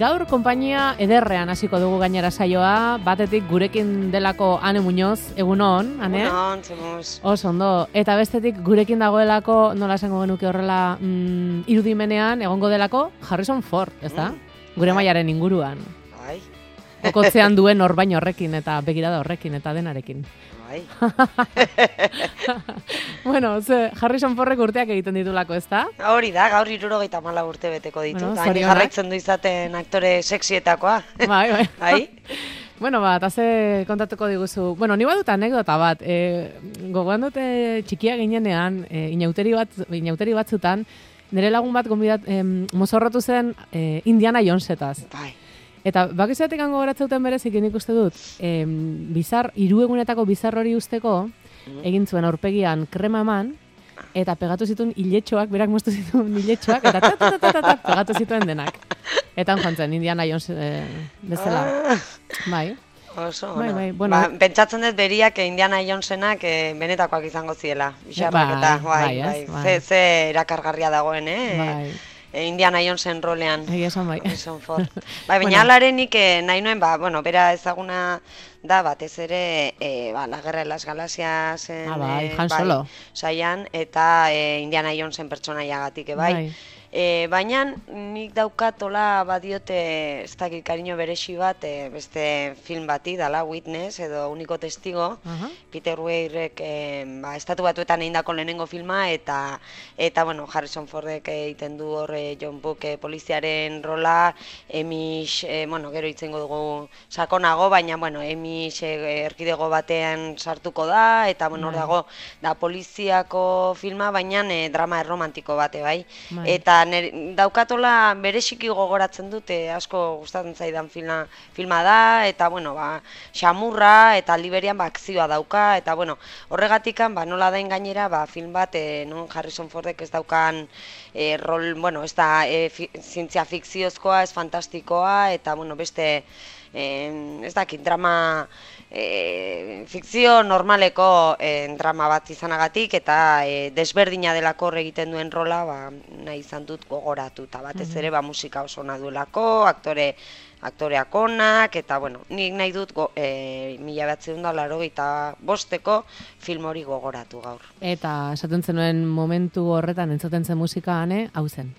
Gaur konpainia ederrean hasiko dugu gainera saioa, batetik gurekin delako Ane Muñoz, egun hon, Ane? Egun zemuz. Oso ondo, eta bestetik gurekin dagoelako, nola esango genuke horrela, irudimenean egongo delako Harrison Ford, ezta? Gure mailaren inguruan. Bai. Okotzean duen orbain horrekin eta begirada horrekin eta denarekin. Bai. Bueno, Harrison Fordek urteak egiten ditulako, ezta? Hori da, gaur 74 urte beteko ditu. Bueno, Hain jarraitzen du izaten aktore sexietakoa. Bai. Bai. Bueno, eta ze kontatuko diguzu. Bueno, ni badut anekdota bat. Gogoan dute txikia ginenean, inauteri batzutan, nire lagun bat mozorrotu zen Indiana Jonesetaz. Bai. Eta bakizatik hango goratzeuten berezikin ikuste dut, hiruegunetako bizar hori usteko, egin zuen aurpegian krema eman, eta pegatu zituen hiletxoak, berak moztu zituen hiletxoak, eta pegatu zituen denak. Eta joan zen, Indiana Jones bezala. Bai. Oso, bai, bueno. Pentsatzen dut beriak Indiana Jonesenak benetakoak izango ziela. Bai. Ze erakargarria dagoen, Bai. Indiana Jonesen rolean. Esan bai. Baina alarenik nahi nuen, bera ezaguna da batez ere La Guerra de las Galaxias Han Solo. Saian, eta Indiana Jonesen pertsonaiagatik, bai. Baina nik daukatola badiote ez dakit kariño beresi bat beste film bati dala Witness edo Uniko Testigo. Peter Weirek estatu batuetan egindako lehenengo filma eta bueno, Harrison Fordek egiten du hor John Book poliziaren rola, Emish, gero itzengo dugu sakonago, baina Emish erkidego batean sartuko da eta hor dago da poliziako filma, baina drama erromantiko bate, bai. Eta daukatola bereziki gogoratzen dute, asko gustatzen zaidan filma da, eta xamurra eta aldi berean akzioa dauka, eta horregatikan nola dain gainera film bat non Harrison Fordek ez daukan rol, ez da zientzia fikziozkoa, ez fantastikoa, eta beste ez dakit drama fikzio normaleko drama bat izanagatik eta desberdina delako egiten duen rola nahi izan dut gogoratu eta batez ere musika oso ona duelako, aktoreak onak eta nik nahi dut 1985 film hori gogoratu gaur. Eta esaten zenuen momentu horretan entzuten zen musika, Ane, hau zen.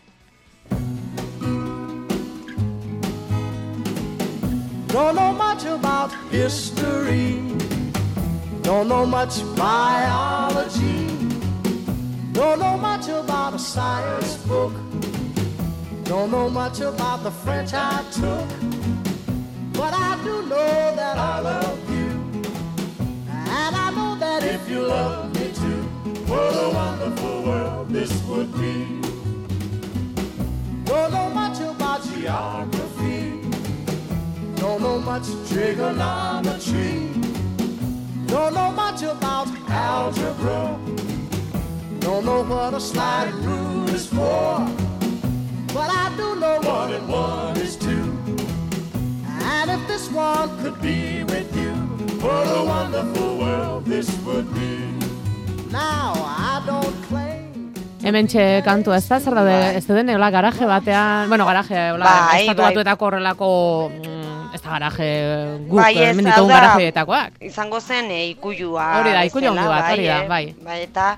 Don't know much about history, don't know much biology, don't know much about a science book, don't know much about the French I took, but I do know that I love you, and I know that if you love me too, what a wonderful world this would be. Don't know much about geography, don't know much trigonometry, don't know much about algebra, don't know what a sliding rule is for, but I do know 1 and 1 is 2, and if this one could be with you, what a wonderful world this would be. Now I don't claim. Hementxe kantua ez da, zer daude, ez den eola garaje batean, estatu batuetako horrelako, ez da garaje guk, menditugun garajeetakoak. Izango zen ikuyua. Hori da, ikuyu handi bat, hori da, bai. Eta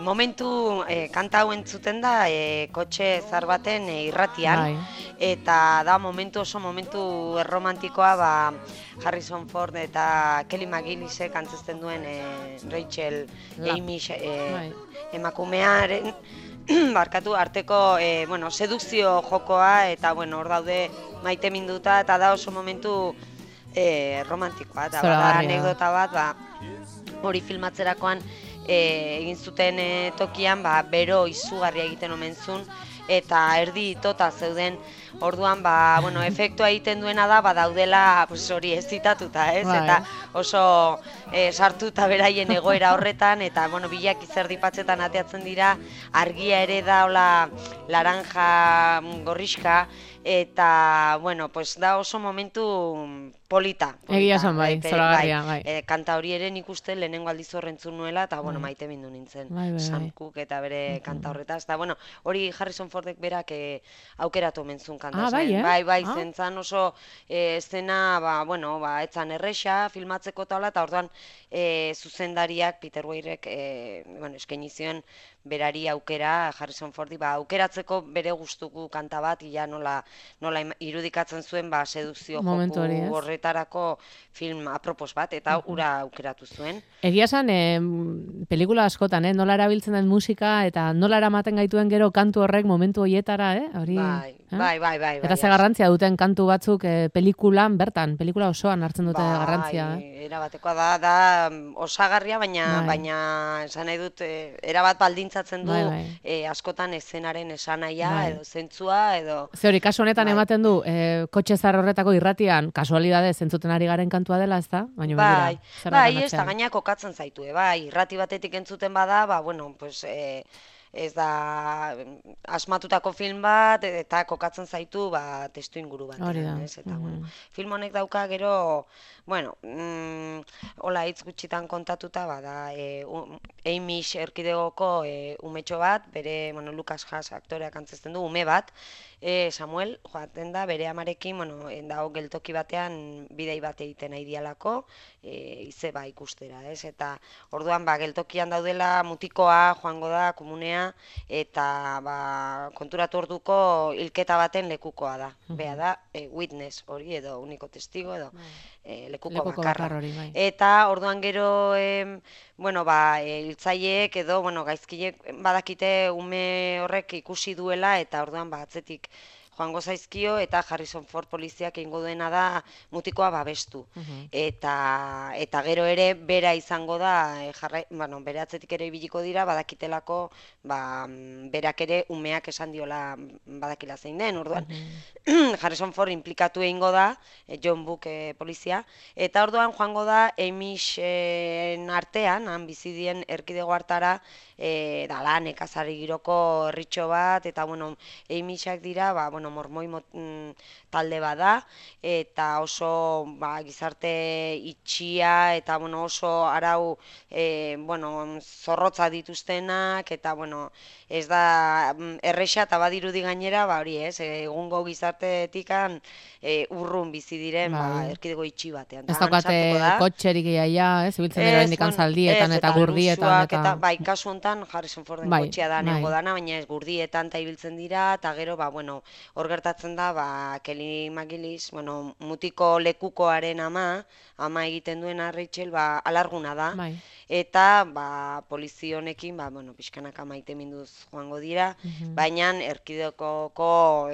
momentu kanta hau entzuten da kotxe zar baten irratian, eta da oso momentu erromantikoa Harrison Ford eta Kelly McGillisek antzezten duen Rachel Amish emakumearen arteko sedukzio jokoa eta hor daude maite minduta eta da oso momentu romantikoa eta anekdota bat hori filmatzerakoan egin zuten tokian bero izugarria egiten omen zuen eta erdi itota zeuden orduan efektua egiten duena da daudela hori ezitatuta, ez? Eta oso sartuta beraien egoera horretan eta bilak izerdipatzetan ateatzen dira, argia ere da laranja gorrixka eta, bueno, pues da oso momentu polita. Egia esan bai, zoragarria, bai. Kanta hori ere nik uste lehenengo aldiz horrentzun nuela, eta, bueno, maite mindu nintzen. Sam Cooke eta bere kanta horretaz. Eta, bueno, hori Harrison Fordek berak aukeratu mentzun kanta. Bai, zentzan oso eszena, bueno, etzan erresa, filmatzeko eta orduan zuzendariak, Peter Weirek, bueno, eskaini zion berari aukera, Harrison Fordi, aukeratzeko bere gustuko kanta bat, ia nola irudikatzen zuen, sedukzio joku horretarako film apropos bat, eta ura aukeratu zuen. Egia esan, pelikula askotan, nola erabiltzen den musika, eta nola eramaten gaituen gero kantu horrek momentu horietara, hori... Bai. Eta ze garrantzia duten kantu batzuk pelikulan, bertan, pelikula osoan hartzen dute garrantzia. Erabatekoa da osagarria, baina esan nahi dut, erabat baldintzatzen du askotan eszenaren esanaia, edo zentzua, edo... Ze hori, kasu honetan ematen du, kotxe zar horretako irratian, kasualidade zentzuten ari garen kantua dela, ez da? Bai, ez da gaina kokatzen zaitu, irrati batetik entzuten bada, bueno, pues... ez da asmatutako film bat, eta kokatzen zaitu testu inguru bat. Film honek dauka gero, bueno, hola hitz gutxitan kontatuta, da Amish erkidegoko umetxo bat, bere, bueno, Lucas Haas aktoreak antzezten du, ume bat, Samuel, joaten da, bere amarekin, bueno, dago geltoki batean bidei bat egiten nahi dialako, izeba ikustera, ez? Eta orduan, geltokian daudela mutikoa, joango da, komunea, eta konturatu orduko hilketa baten lekukoa da. Bea da, witness hori edo uniko testigo edo lekuko bakarra. Eta orduan gero, bueno, hiltzaileek edo, bueno, gaizkileek badakite ume horrek ikusi duela eta orduan atzetik joango zaizkio eta Harrison Ford poliziak egingo duena da mutikoa babestu. Eta gero ere bera izango da, bueno, bere atzetik ere ibiliko dira, badakitelako berak ere umeak esan diola badakila zein den, orduan Harrison Ford implikatu egingo da, John Book polizia, eta orduan joango da Amisen artean, han bizidien erkidego hartara, dala nekazari giroko herritxo bat, eta bueno, Amisak dira, bueno, mormoi talde bada, eta oso gizarte itxia, eta bueno, oso arau bueno, zorrotza dituztenak, eta bueno, ez da erresa eta badirudi gainera, hori ez, egungo gizartetikan urrun bizi diren erkidego itxi batean. Ez daukate kotxerik iaia, zibiltzen dira indikan zaldietan eta gurdietan. Bai, kasu honetan Harrison Forden kotxea da nengo dana, baina ez gurdietan eta ibiltzen dira, eta gero, bueno, hor gertatzen da, Kelly McGillis, bueno, mutiko lekukoaren ama egiten duena Rachel, alarguna da, eta polizio honekin, bueno, pixkanaka maite minduz joango dira, baina erkidekoko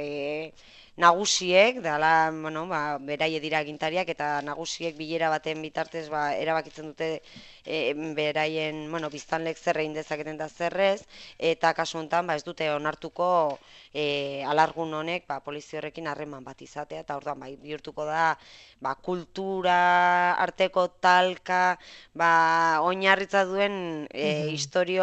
nagusiek, dala, bueno, beraie dira agintariak, eta nagusiek bilera baten bitartez erabakitzen dute beraien, bueno, biztanlek zer egin dezaketen da zerrez, eta kasu honetan ez dute onartuko alargun honek polizio horrekin harreman bat izatea, eta orduan bihurtuko da kultura arteko talka, oinarritza duen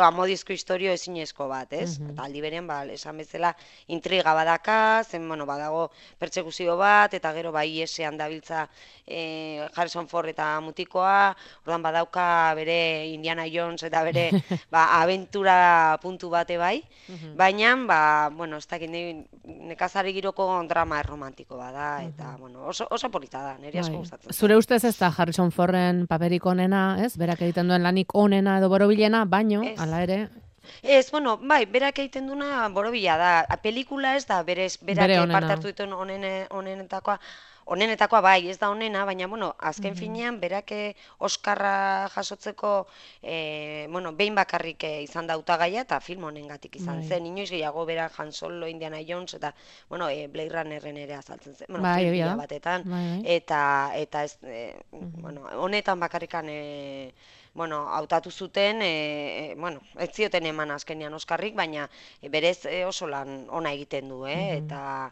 amodizko historio ezinezko bat, ez? Eta aldi berean, esan bezala, intriga badaka, zen, bueno, badago pertsekuzio bat, eta gero IS-ean dabiltza Harrison Ford eta mutikoa, orduan badauka bere Indiana Jones eta bere abentura puntu bate baina, bueno, ez dakit nekazari giroko drama erromantiko bada, eta, bueno, oso polita da, niri asko gustatzen. Zure ustez ez da Harrison Forden paperik onena, ez? Berak egiten duen lanik onena edo borobilena, baino, hala ere... Ez, bueno, berak egiten duena borobila da. Pelikula ez da, berak parte hartu dituen onenetakoa bai, ez da onena, baina, bueno, azken finean, berak Oskarra jasotzeko, bueno, behin bakarrik izan da hautagaia eta film honengatik izan zen. Inoiz gehiago berak Han Solo, Indiana Jones, eta, bueno, Blade Runnerren ere azaltzen zen. Bueno, film batetan, eta ez, bueno, honetan bakarrikan, bueno, hautatu zuten, bueno, ez zioten eman azkenean Oskarrik, baina berez oso lan ona egiten du, eta...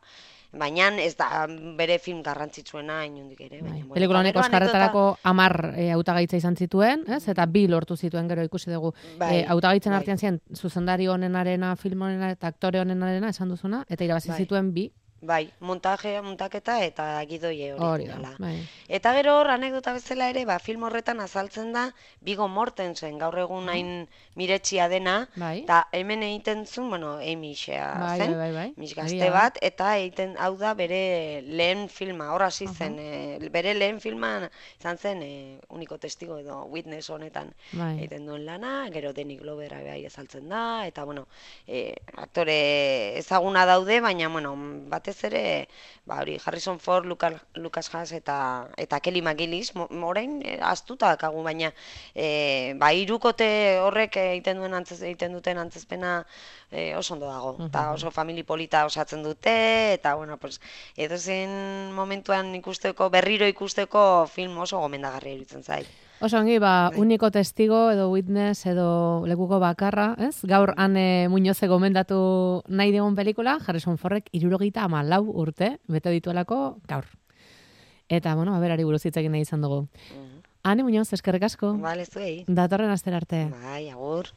Baina ez da bere film garrantzitsuena inondik ere. Pelikula honek Oskarretarako 10 hautagaitza izan zituen, eta 2 lortu zituen gero ikusi dugu. Hautagaitzen artean ziren zuzendari honenarena, film honenarena eta aktore honenarena esan duzuna, eta irabazi zituen 2. Bai, montaketa eta gidoi originala. Bai. Eta gero hor, anekdota bezala ere, film horretan azaltzen da Viggo Mortensen gaur egun hain miretsia dena, eta hemen egiten zuen, Amyxea zen, Amyx gazte bat, eta egiten hau da bere lehen filma, hor hasi zen, bere lehen filma izan zen Uniko Testigo edo Witness honetan egiten duen lana, gero Danny Glover bai azaltzen da, eta aktore ezaguna daude, baina batez ere, hori Harrison Ford, Lucas Haas eta Kelly McGillis, orain astuta dakagu, baina hirukote horrek egiten duten antzezpena oso ondo dago, eta oso famili polita osatzen dute, eta edozein momentuan berriro ikusteko film oso gomendagarria iruditzen zait. Oso ongi, Uniko Testigo edo Witness edo Lekuko bakarra, ez? Gaur Ane Muñoze gomendatu nahi digun pelikula, Harrison Fordek 74 urte bete dituelako gaur. Eta, aberari buruz hitz egin nahi izan dugu. Ane Muñoz, eskerrik asko. Bale, zuei. Datorren astera arte. Bai, agur.